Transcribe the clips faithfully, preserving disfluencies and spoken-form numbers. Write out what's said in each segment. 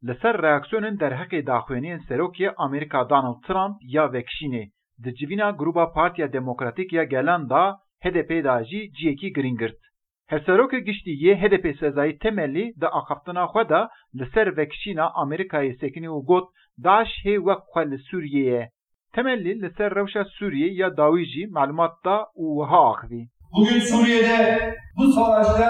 Li ser reaksiyonên derheqê daxuyaniyên serokê Amerîka Donald Trump ya vekişînê di civîna Grûba Partiya Demokratîk ya Gelan de, H D P de jî cihekî girîng girt. Hevserokê giştî yê H D P Sezayî Temelî di axaftina xwe de li ser vekişîna Amerîkayê sekinî û got, DAIŞ hê wek xwe li Sûriyê ye. Temelî li ser rewşa Sûriyê ya dawî jî malumat da û wiha axivî. Bugün Suriye'de bu savaşta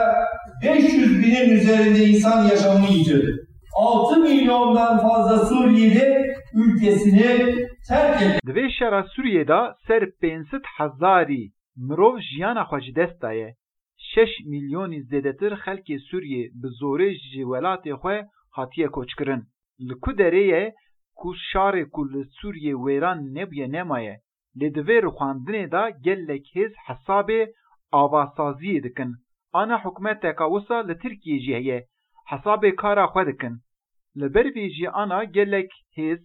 beş yüz binin üzerinde insan yaşamını yitirdi. Altı milyondan fazla Suriyeli ülkesini terk etti. Di vê şera Sûriyê de ser pênc sed hezarî mirov jiyana xwe ji dest daye. Şeş milyonî zêdetir xelkê Sûriyê bi zorê ji welatê xwe hatiye koçkirin. Li ku derê ye ku şarê ku li Sûriyê wêran nebûye nemaye. Lê di vê rûxandinê de gelek hêz hesabê avasaziyê dikin. Ana hikûmeteka wisa li Tirkiyê jî heye. Hesabê kara xwe dikin. Li ber vê jî ana gelek hêz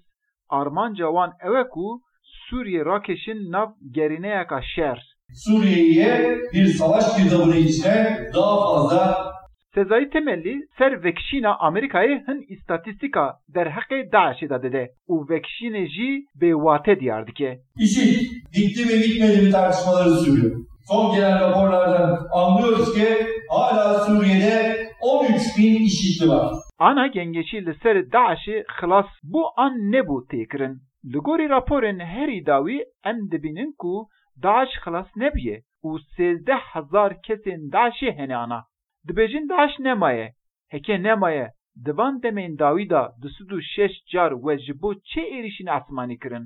armanca wan ew e ku Sûriyê rakêşin nav gerîneyeka şer. Suriye'ye bir savaş girdabına içine daha fazla Sezayî Temelî ser vekişîna Amerîkayê hin îstatîstîka derheqê DAIŞê de dide û vekişînê jî bêwate diyar dike. IŞİD bitti mi bitmedi mi tartışmaları sürüyor. Son gelen raporlardan anlıyoruz ki hala Suriye'de on üç bin IŞİD'li var. Ana gengeşî li ser DAIŞê xilas bû an nebû têkirin. Li gorî raporên herî dawî em dibînin ku DAIŞ xilas nebûye û sêzdeh hezar kesên DAIŞê hene ana. Dibêjin DAIŞ nemaye. Heke nemaye, di van demên dawî de du sed û şeş car we ji bo çi êrîşên esmanî kirin?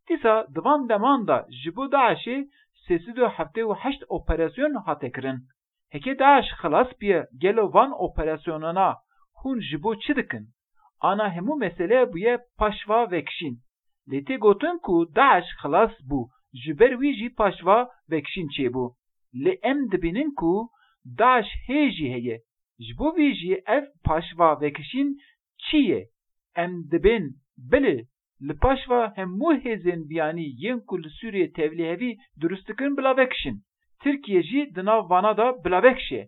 Dîsa di van deman de ji bo DAIŞê sê sed û heftê û heşt operasyon hate kirin. Heke DAIŞ xilas bûye, gelo van operasyonana hûn ji bo çi dikin? Ana hemû mesele bûye paşva vekişîn. Lê tê gotin ku DAIŞ xilas bû, ji ber wî jî paşva vekişîn çêbû. Lê em dibînin ku DAIŞ hê jî heye. Ji bo vî jî ev paşva vekişîn çi ye? Em dibên bilê li paşva hemû hêzên biyanî yên ku li Sûriyê tevlîhevî dirust dikin bila vekişin. Tirkiye jî di nav vana de bila vekişe.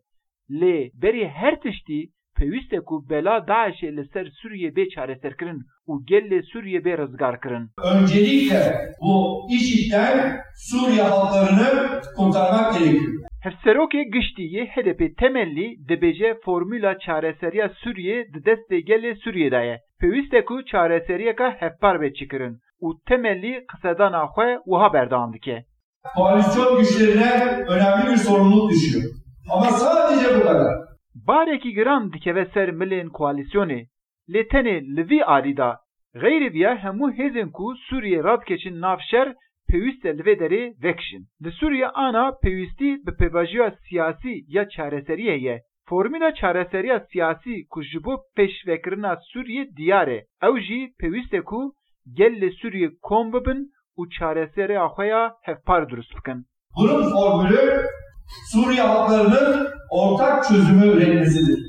Lê berî her tiştî pêwîst e ku bela DAIŞê li ser Sûriyê bê çareserkirin û gelê Sûriyê bê rizgarkirin. Öncelikle bu IŞİD'den Suriye halklarını kurtarmak gerekiyor. Hevserokê giştî yê H D P Temelî dibêje formûla çareseriya Sûriyê di destê gelê Sûriyê de ye. Pêwîst e ku çareseriyeka hevpar bê çêkirin û Temelî qisedana xwe wiha berdewam dike. Koalisyon güçlerine önemli bir sorumluluk düşüyor. Ama sadece bu kadar. Barekî giran dikeve ser milên koalîsyonê. Lê tenê li vî alî de. Xeyrê viya hemû hêzên ku Sûriyê radikeşin nav şer pêwîst e li vê derê vekişin. Li Sûriyê ana pêwîstî bi pêvajoya siyasî ya çareseriyê heye. Formûla çareseriya siyasî ku ji bo pêşvekirina Sûriyê diyar e. Ew jî pêwîst e ku gelê Sûriyê kom bibin û çareseriya xwe ya hevpar dirust bikin. Bunun formülü Suriye halklarının ortak çözümü üretmesidir.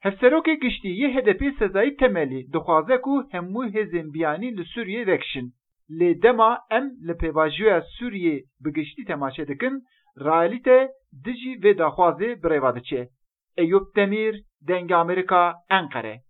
Hevserokê giştî yê H D P Sezayî Temelî dixwaze ku hemû hêzên biyanî li Sûriyê vekişin. Lê dema em li pêvajoya Sûriyê bi giştî temaşe dikin, realîte dijî vê daxwazê bi rêva diçe. Eyûp Demîr, Dengê Amerîka, Enqere.